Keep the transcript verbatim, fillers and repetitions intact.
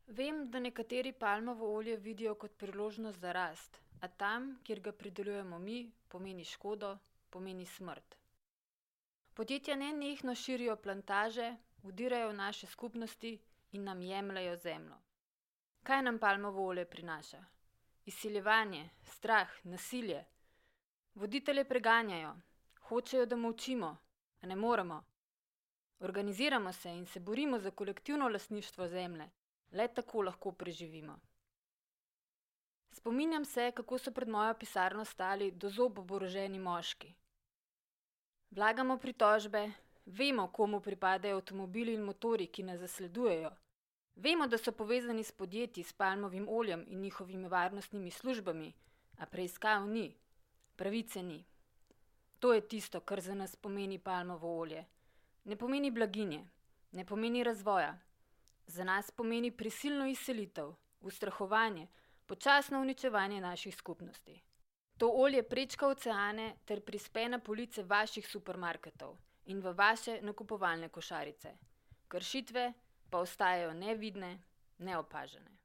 Vem, da nekateri palmovo olje vidijo kot priložnost za rast, a tam, kjer ga pridelujemo mi, pomeni škodo, pomeni smrt. Podjetja nenehno širijo plantaže, vdirajo v naše skupnosti in nam jemljejo zemljo. Kaj nam palmovo olje prinaša? Izsiljevanje, strah, nasilje. Voditelje preganjajo, hočejo, da molčimo, a ne moremo. Organiziramo se in se borimo za kolektivno lastništvo zemlje. Le tako lahko preživimo. Spominjam se, kako so pred mojo pisarno stali do zob oboroženi moški. Vlagamo pritožbe, vemo, komu pripadajo avtomobili in motorji, ki nas zasledujejo. Vemo, da so povezani s podjetji s palmovim oljem in njihovimi varnostnimi službami, a preiskav ni, pravice ni. To je tisto, kar za nas pomeni palmovo olje. Ne pomeni blaginje, ne pomeni razvoja. Za nas pomeni prisilno izselitev, ustrahovanje, počasno uničevanje naših skupnosti. To olje prečka oceane ter prispe na police vaših supermarketov in v vaše nakupovalne košarice. Kršitve pa ostajajo nevidne, neopažene.